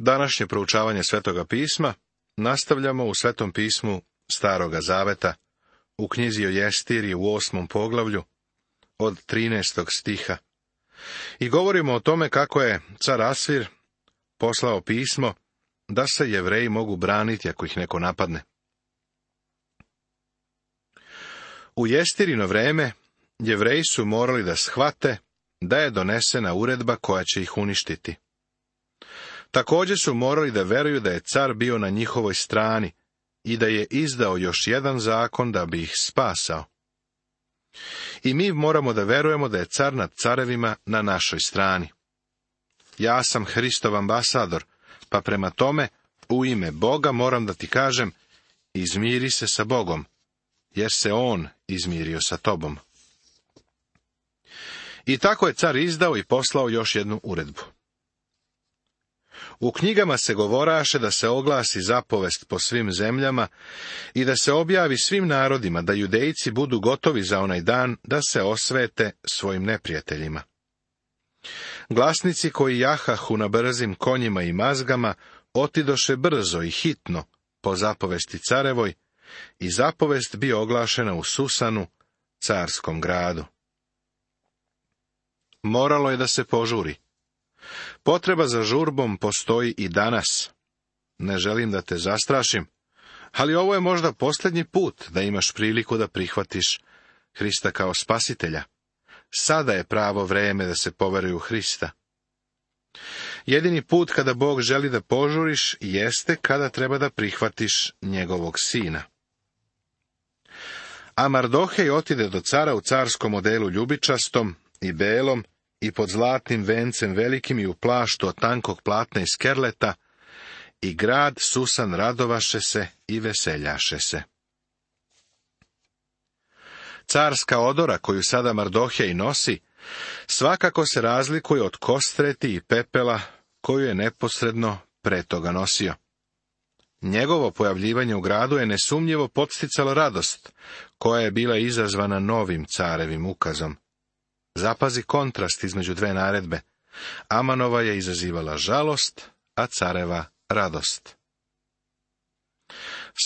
Današnje proučavanje Svetoga pisma nastavljamo u Svetom pismu Staroga zaveta, u knjizi o Jestiriji u 8. poglavlju, od 13. stiha. I govorimo o tome kako je car Asvir poslao pismo da se Jevreji mogu braniti ako ih neko napadne. U Jestirino vreme Jevreji su morali da shvate da je donesena uredba koja će ih uništiti. Također su morali da veruju da je car bio na njihovoj strani i da je izdao još jedan zakon da bi ih spasao. I mi moramo da verujemo da je car nad carevima na našoj strani. Ja sam Hristov ambasador, pa prema tome, u ime Boga moram da ti kažem, izmiri se sa Bogom, jer se on izmirio sa tobom. I tako je car izdao i poslao još jednu uredbu. U knjigama se govoraše da se oglasi zapovest po svim zemljama i da se objavi svim narodima da Judejci budu gotovi za onaj dan da se osvete svojim neprijateljima. Glasnici koji jahahu na brzim konjima i mazgama otidoše brzo i hitno po zapovesti carevoj i zapovest bio oglašena u Susanu, carskom gradu. Moralo je da se požuri. Potreba za žurbom postoji i danas. Ne želim da te zastrašim, ali ovo je možda posljednji put da imaš priliku da prihvatiš Hrista kao spasitelja. Sada je pravo vreme da se poveruje u Hrista. Jedini put kada Bog želi da požuriš jeste kada treba da prihvatiš njegovog sina. A Mardohej otide do cara u carskom odelu ljubičastom i belom i pod zlatnim vencem velikim i u plaštu od tankog platna i skerleta, i grad Susan radovaše se i veseljaše se. Carska odora koju sada Mardohej nosi, svakako se razlikuje od kostreti i pepela koju je neposredno pre toga nosio. Njegovo pojavljivanje u gradu je nesumnjivo podsticalo radost, koja je bila izazvana novim carevim ukazom. Zapazi kontrast između dve naredbe. Amanova je izazivala žalost, a careva radost.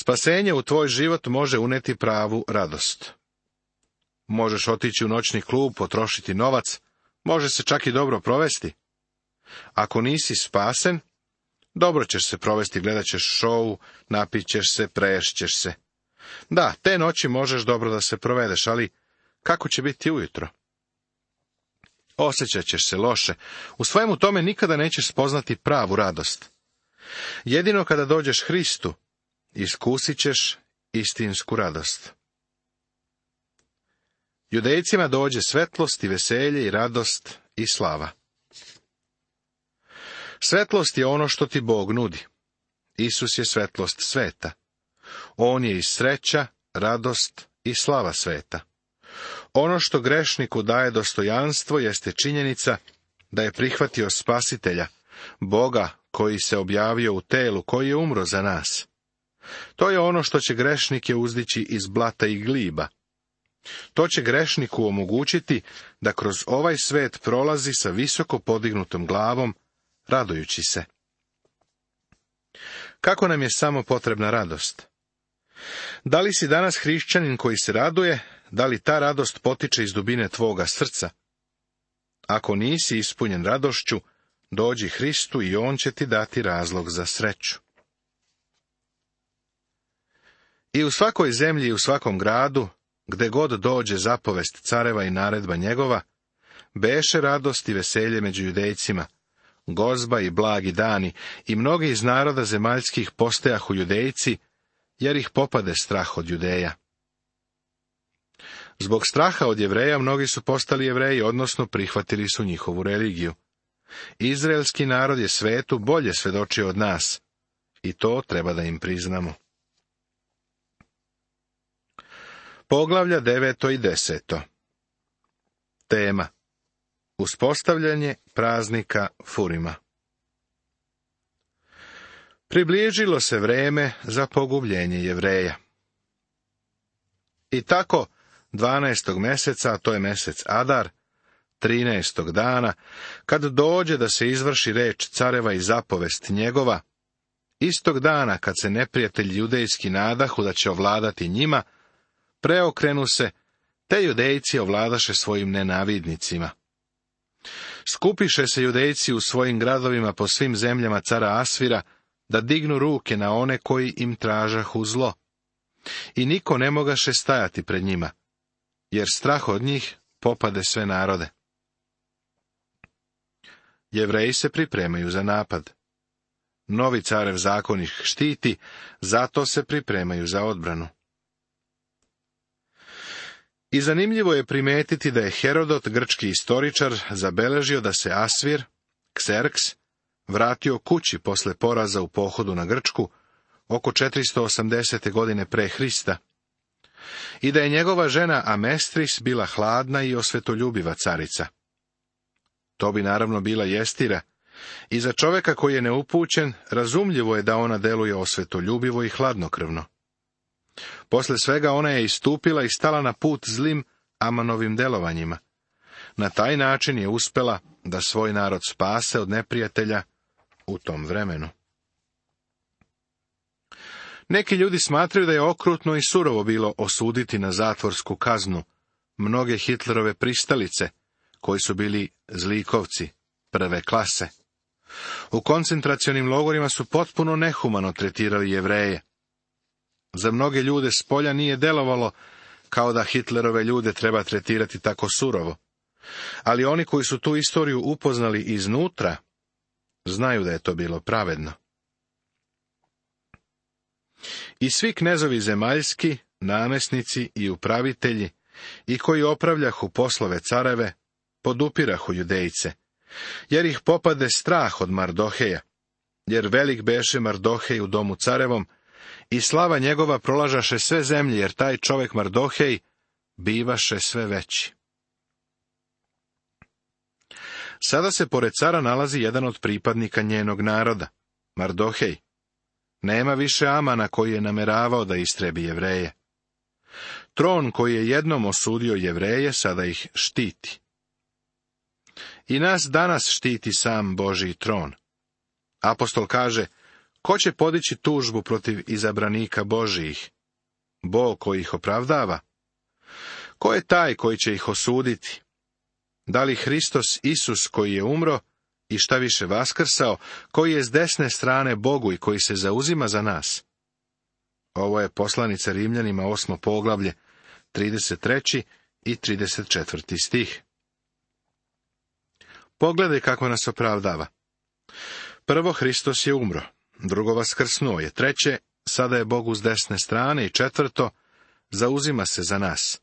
Spasenje u tvoj život može uneti pravu radost. Možeš otići u noćni klub, potrošiti novac, može se čak i dobro provesti. Ako nisi spasen, dobro ćeš se provesti, gledat ćeš šou, napit ćeš se, preješćeš se. Da, te noći možeš dobro da se provedeš, ali kako će biti ujutro? Osjećat ćeš se loše. U svemu tome nikada nećeš spoznati pravu radost. Jedino kada dođeš Hristu, iskusit ćeš istinsku radost. Judejcima dođe svetlost i veselje i radost i slava. Svetlost je ono što ti Bog nudi. Isus je svetlost sveta. On je i sreća, radost i slava sveta. Ono što grešniku daje dostojanstvo jeste činjenica da je prihvatio Spasitelja, Boga koji se objavio u telu, koji je umro za nas. To je ono što će grešnike uzdići iz blata i gliba. To će grešniku omogućiti da kroz ovaj svet prolazi sa visoko podignutom glavom, radujući se. Kako nam je samo potrebna radost? Da li si danas hrišćanin koji se raduje? Da li ta radost potiče iz dubine tvoga srca? Ako nisi ispunjen radošću, dođi Hristu i on će ti dati razlog za sreću. I u svakoj zemlji i u svakom gradu, gde god dođe zapovest careva i naredba njegova, beše radost i veselje među Judejcima, gozba i blagi dani, i mnogi iz naroda zemaljskih postajahu Judejci, jer ih popade strah od Judeja. Zbog straha od Jevreja mnogi su postali Jevreji, odnosno prihvatili su njihovu religiju. Izraelski narod je svetu bolje svedočio od nas, i to treba da im priznamo. Poglavlja 9. i 10. Tema: uspostavljanje praznika Furima. Približilo se vreme za pogubljenje Jevreja. I tako, 12. meseca, a to je mesec Adar, 13. dana, kad dođe da se izvrši reč careva i zapovest njegova, istog dana kad se neprijatelji judejski nadahu da će ovladati njima, preokrenu se, te judejci ovladaše svojim nenavidnicima. Skupiše se judejci u svojim gradovima po svim zemljama cara Asvira, da dignu ruke na one koji im tražahu zlo. I niko ne mogaše stajati pred njima, jer strah od njih popade sve narode. Jevreji se pripremaju za napad. Novi carev zakon ih štiti, zato se pripremaju za odbranu. I zanimljivo je primetiti da je Herodot, grčki istoričar, zabeležio da se Asvir, Kserks, vratio kući posle poraza u pohodu na Grčku oko 480. godine pre Hrista i da je njegova žena Amestris bila hladna i osvetoljubiva carica. To bi naravno bila Jestira, i za čoveka koji je neupućen razumljivo je da ona deluje osvetoljubivo i hladnokrvno. Posle svega ona je istupila i stala na put zlim Amanovim delovanjima. Na taj način je uspela da svoj narod spase od neprijatelja u tom vremenu. Neki ljudi smatraju da je okrutno i surovo bilo osuditi na zatvorsku kaznu mnoge Hitlerove pristalice, koji su bili zlikovci prve klase. U koncentracionim logorima su potpuno nehumano tretirali Jevreje. Za mnoge ljude s polja nije delovalo kao da Hitlerove ljude treba tretirati tako surovo. Ali oni koji su tu istoriju upoznali iznutra, znaju da je to bilo pravedno. I svi knezovi zemaljski, namesnici i upravitelji, i koji opravljahu poslove careve, podupirahu judejce, jer ih popade strah od Mardoheja, jer velik beše Mardohej u domu carevom, i slava njegova prolažaše sve zemlje, jer taj čovek Mardohej bivaše sve veći. Sada se pored cara nalazi jedan od pripadnika njenog naroda, Mardohej. Nema više Amana koji je nameravao da istrebi Jevreje. Tron koji je jednom osudio Jevreje, sada ih štiti. I nas danas štiti sam Božji tron. Apostol kaže, ko će podići tužbu protiv izabranika Božijih? Bog koji ih opravdava. Ko je taj koji će ih osuditi? Da li Hristos Isus koji je umro i šta više vaskrsao, koji je s desne strane Bogu i koji se zauzima za nas? Ovo je poslanica Rimljanima 8. poglavlje, 33. i 34. stih. Pogledaj kako nas opravdava. Prvo, Hristos je umro. Drugo, vaskrsnuo je. Treće, sada je Bogu s desne strane. I četvrto, zauzima se za nas.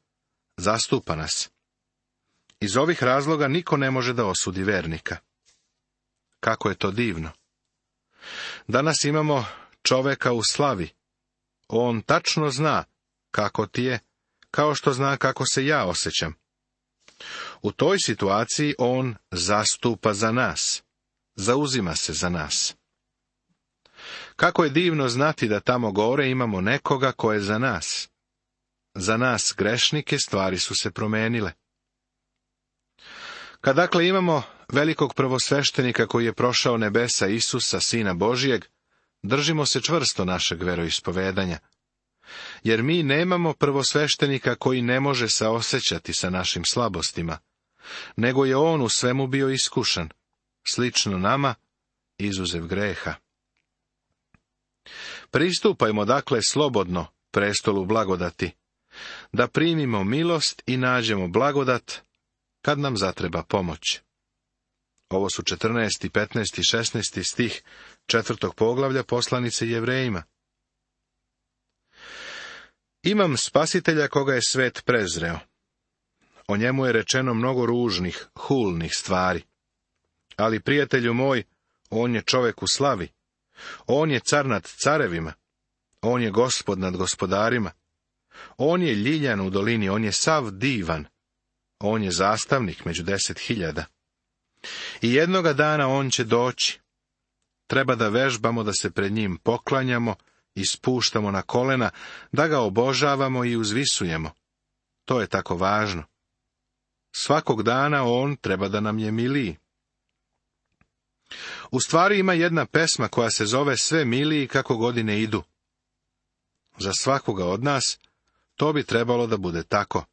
Zastupa nas. Iz ovih razloga niko ne može da osudi vernika. Kako je to divno. Danas imamo čoveka u slavi. On tačno zna kako ti je, kao što zna kako se ja osjećam. U toj situaciji on zastupa za nas. Zauzima se za nas. Kako je divno znati da tamo gore imamo nekoga ko je za nas. Za nas grešnike stvari su se promenile. Kad dakle imamo velikog prvosveštenika koji je prošao nebesa, Isusa, Sina Božijeg, držimo se čvrsto našeg veroispovedanja. Jer mi nemamo prvosveštenika koji ne može saosećati sa našim slabostima, nego je on u svemu bio iskušan, slično nama, izuzev greha. Pristupajmo dakle slobodno prestolu blagodati, da primimo milost i nađemo blagodat kad nam zatreba pomoć. Ovo su 14., 15. i 16. stih 4. poglavlja poslanice Jevrejima. Imam spasitelja koga je svet prezreo. O njemu je rečeno mnogo ružnih, hulnih stvari. Ali, prijatelju moj, on je čovek u slavi. On je car nad carevima. On je gospod nad gospodarima. On je ljiljan u dolini, on je sav divan. On je zastavnik među 10.000. I jednoga dana on će doći. Treba da vežbamo da se pred njim poklanjamo i spuštamo na kolena, da ga obožavamo i uzvisujemo. To je tako važno. svakog dana on treba da nam je miliji. U stvari ima jedna pesma koja se zove Sve miliji kako godine idu. Za svakoga od nas to bi trebalo da bude tako.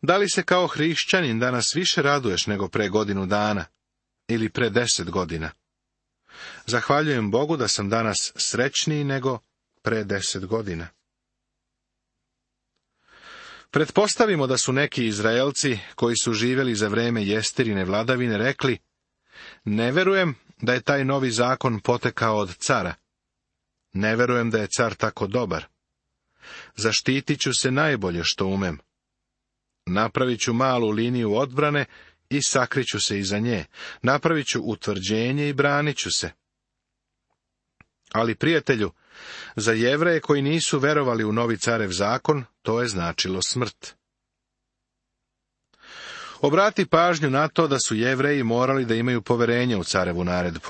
Da li se kao hrišćanin danas više raduješ nego pre godinu dana ili pre 10 godina? Zahvaljujem Bogu da sam danas srećniji nego pre 10 godina. Pretpostavimo da su neki Izraelci koji su živjeli za vreme Jesterine vladavine rekli: ne verujem da je taj novi zakon potekao od cara. Ne verujem da je car tako dobar. Zaštitit ću se najbolje što umem. Napravit ću malu liniju odbrane i sakriću se iza nje. Napravit ću utvrđenje i branit ću se. Ali, prijatelju, za Jevreje koji nisu verovali u novi carev zakon, to je značilo smrt. Obrati pažnju na to da su Jevreji morali da imaju poverenje u carevu naredbu.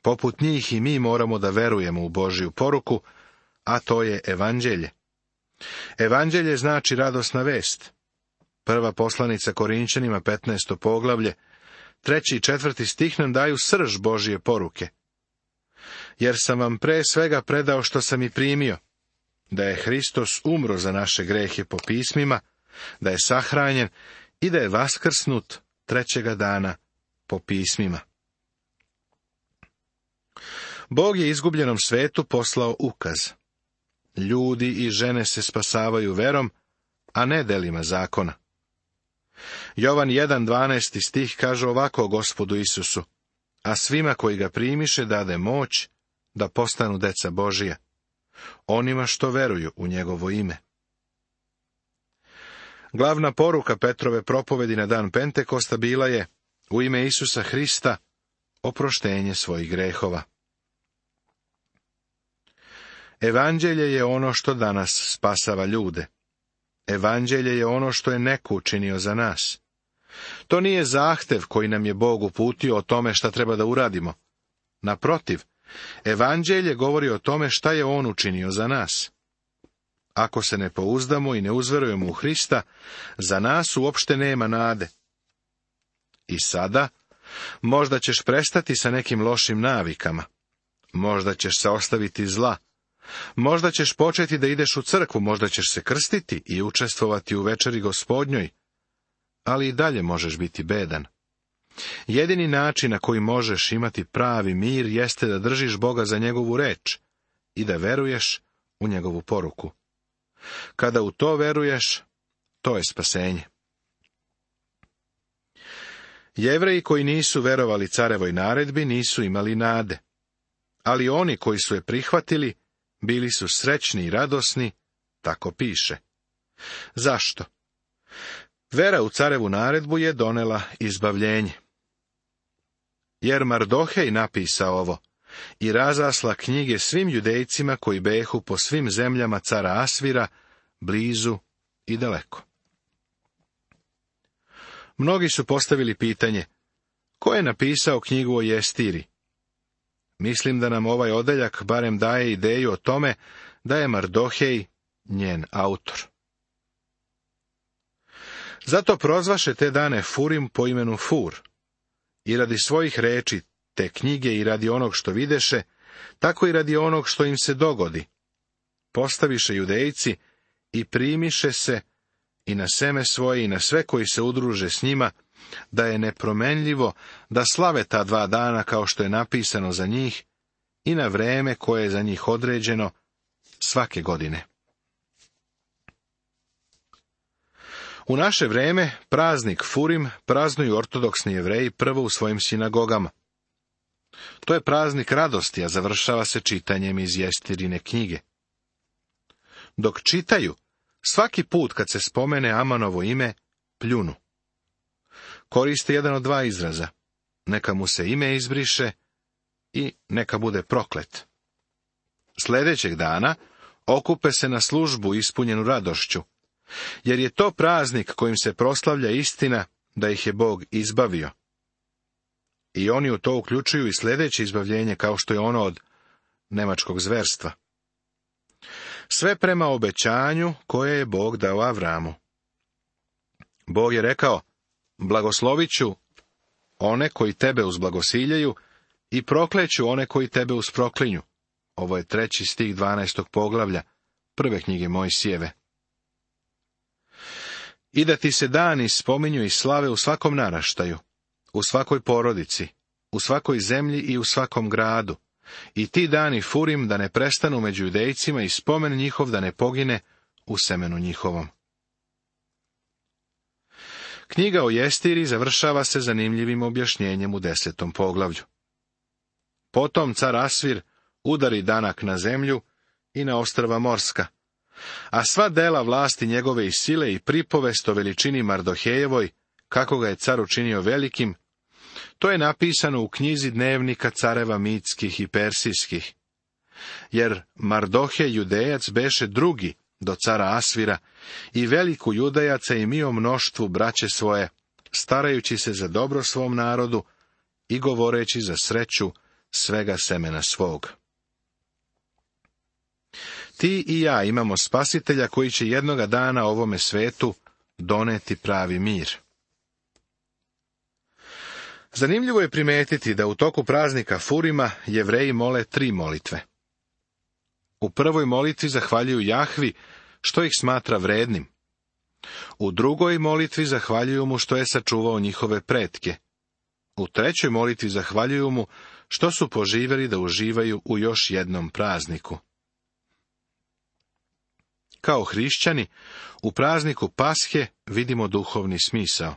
Poput njih i mi moramo da verujemo u Božju poruku, a to je evanđelje. Evanđelje znači radosna vest. Prva poslanica Korinćanima, 15. poglavlje, 3. i 4. stih nam daju srž Božje poruke. Jer sam vam pre svega predao što sam i primio, da je Hristos umro za naše grehe po pismima, da je sahranjen i da je vaskrsnut trećega dana po pismima. Bog je izgubljenom svetu poslao ukaz. Ljudi i žene se spasavaju verom, a ne delima zakona. Jovan 1.12. stih kaže ovako Gospodu Isusu: a svima koji ga primiše dade moć da postanu deca Božija, onima što veruju u njegovo ime. Glavna poruka Petrove propovedi na dan Pentekosta bila je: u ime Isusa Hrista oproštenje svojih grehova. Evanđelje je ono što danas spasava ljude. Evanđelje je ono što je neko učinio za nas. To nije zahtev koji nam je Bog uputio o tome šta treba da uradimo. Naprotiv, evanđelje govori o tome šta je on učinio za nas. Ako se ne pouzdamo i ne uzverujemo u Hrista, za nas uopšte nema nade. I sada, možda ćeš prestati sa nekim lošim navikama. Možda ćeš se ostaviti zla. Možda ćeš početi da ideš u crkvu, možda ćeš se krstiti i učestvovati u večeri Gospodnjoj, ali i dalje možeš biti bedan. Jedini način na koji možeš imati pravi mir jeste da držiš Boga za njegovu reč i da veruješ u njegovu poruku. Kada u to veruješ, to je spasenje. Jevreji koji nisu verovali carevoj naredbi nisu imali nade, ali oni koji su je prihvatili bili su srećni i radosni, tako piše. Zašto? Vera u carevu naredbu je donela izbavljenje. Jer Mardohej napisao ovo i razasla knjige svim judejcima koji behu po svim zemljama cara Asvira, blizu i daleko. Mnogi su postavili pitanje: ko je napisao knjigu o Jestiri? Mislim da nam ovaj odeljak barem daje ideju o tome da je Mardohej njen autor. Zato prozvaše te dane Furim po imenu Fur. I radi svojih reči te knjige i radi onog što videše, tako i radi onog što im se dogodi. Postaviše judejci i primiše se i na seme svoje i na sve koji se udruže s njima, da je nepromenljivo da slave ta 2 dana kao što je napisano za njih i na vreme koje je za njih određeno svake godine. U naše vreme praznik Furim praznuju ortodoksni Jevreji prvo u svojim sinagogama. To je praznik radosti, a završava se čitanjem iz Jestirine knjige. Dok čitaju, svaki put kad se spomene Amanovo ime, pljunu. Koriste jedan od 2 izraza: neka mu se ime izbriše i neka bude proklet. Sljedećeg dana okupe se na službu ispunjenu radošću, jer je to praznik kojim se proslavlja istina da ih je Bog izbavio. I oni u to uključuju i sljedeće izbavljenje, kao što je ono od nemačkog zverstva. Sve prema obećanju koje je Bog dao Avramu. Bog je rekao, blagoslovit ću one koji tebe uzblagosiljaju i prokleću one koji tebe usproklinju. Ovo je 3. stih 12. poglavlja 1. knjige Mojsijeve. I da ti se dani spominju i slave u svakom naraštaju, u svakoj porodici, u svakoj zemlji i u svakom gradu. I ti dani Furim da ne prestanu među Judejcima i spomen njihov da ne pogine u semenu njihovom. Knjiga o Jestiri završava se zanimljivim objašnjenjem u 10. poglavlju. Potom car Asvir udari danak na zemlju i na ostrva morska, a sva dela vlasti njegove i sile i pripovest o veličini Mardohejevoj, kako ga je car učinio velikim, to je napisano u knjizi dnevnika careva mitskih i persijskih. Jer Mardohej Judejac beše drugi do cara Asvira i veliku Judejaca imio mnoštvu braće svoje, starajući se za dobro svom narodu i govoreći za sreću svega semena svog. Ti i ja imamo spasitelja koji će jednoga dana ovome svetu doneti pravi mir. Zanimljivo je primetiti da u toku praznika Furima Jevreji mole 3 molitve. U prvoj molitvi zahvaljuju Jahvi što ih smatra vrednim. U drugoj molitvi zahvaljuju mu što je sačuvao njihove pretke. U trećoj molitvi zahvaljuju mu što su poživjeli da uživaju u još jednom prazniku. Kao hrišćani, u prazniku Pashe vidimo duhovni smisao.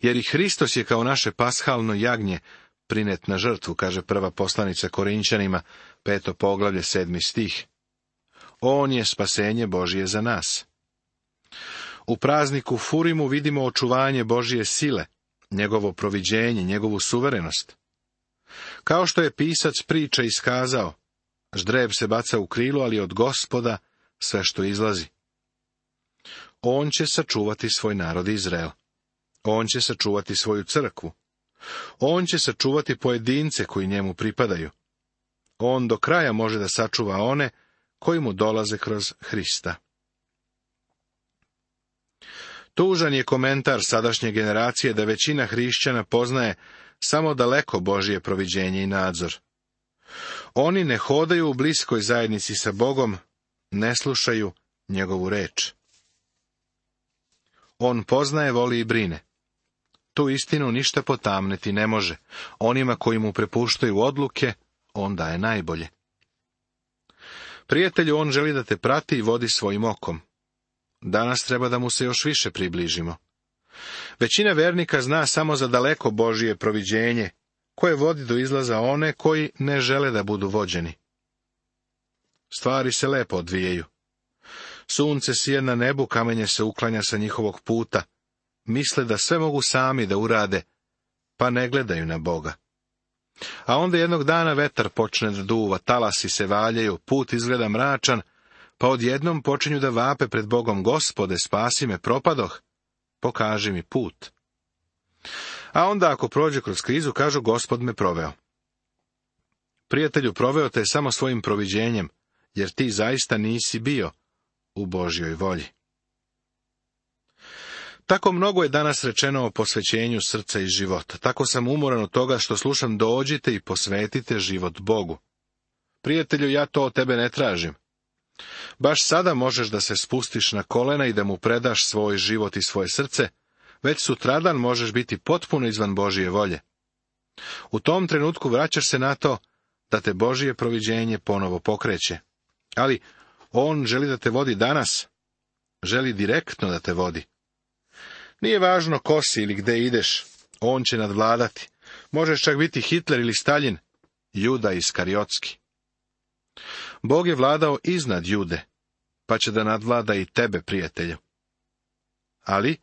Jer i Hristos je kao naše pashalno jagnje prinet na žrtvu, kaže prva poslanica Korinćanima, 5. poglavlje, 7. stih. On je spasenje Božije za nas. U prazniku Furimu vidimo očuvanje Božije sile, njegovo proviđenje, njegovu suverenost. Kao što je pisac priče iskazao, ždreb se baca u krilo, ali od Gospoda sve što izlazi. On će sačuvati svoj narod Izrael. On će sačuvati svoju crkvu. On će sačuvati pojedince koji njemu pripadaju. On do kraja može da sačuva one koji mu dolaze kroz Hrista. Tužan je komentar sadašnje generacije da većina hrišćana poznaje samo daleko Božje proviđenje i nadzor. Oni ne hodaju u bliskoj zajednici sa Bogom, ne slušaju njegovu reč. On poznaje, voli i brine. Tu istinu ništa potamniti ne može. Onima koji mu prepuštaju odluke, on daje najbolje. Prijatelju, on želi da te prati i vodi svojim okom. Danas treba da mu se još više približimo. Većina vernika zna samo za daleko Božje proviđenje, koje vodi do izlaza one koji ne žele da budu vođeni. Stvari se lepo odvijaju. Sunce sije na nebu, kamenje se uklanja sa njihovog puta. Misle da sve mogu sami da urade, pa ne gledaju na Boga. A onda jednog dana vetar počne da duva, talasi se valjaju, put izgleda mračan, pa odjednom počinju da vape pred Bogom: Gospode, spasi me, propadoh, pokaži mi put. A onda ako prođe kroz krizu, kažu: Gospod me proveo. Prijatelju, proveo te samo svojim proviđenjem, jer ti zaista nisi bio u Božjoj volji. Tako mnogo je danas rečeno o posvećenju srca i života. Tako sam umoran od toga što slušam: dođite i posvetite život Bogu. Prijatelju, ja to od tebe ne tražim. Baš sada možeš da se spustiš na kolena i da mu predaš svoj život i svoje srce, već sutradan možeš biti potpuno izvan Božje volje. U tom trenutku vraćaš se na to da te Božje proviđenje ponovo pokreće. Ali on želi da te vodi danas, želi direktno da te vodi. Nije važno ko si ili gde ideš, on će nadvladati. Možeš čak biti Hitler ili Staljin, Juda Iskariotski. Bog je vladao iznad Jude, pa će da nadvlada i tebe, prijatelju. Ali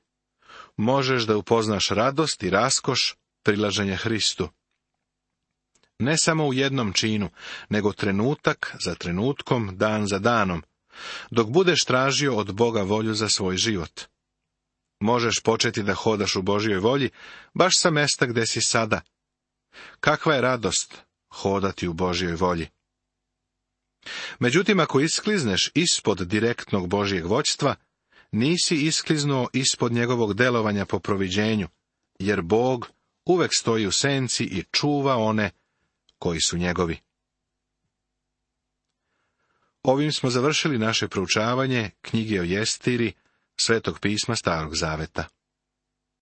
možeš da upoznaš radost i raskoš prilaženja Hristu. Ne samo u jednom činu, nego trenutak za trenutkom, dan za danom, dok budeš tražio od Boga volju za svoj život. Možeš početi da hodaš u Božjoj volji, baš sa mesta gde si sada. Kakva je radost hodati u Božjoj volji. Međutim, ako isklizneš ispod direktnog Božjeg vođstva, nisi iskliznuo ispod njegovog delovanja po proviđenju, jer Bog uvek stoji u senci i čuva one koji su njegovi. Ovim smo završili naše proučavanje knjige o Jestiri, Svetog pisma Starog zaveta.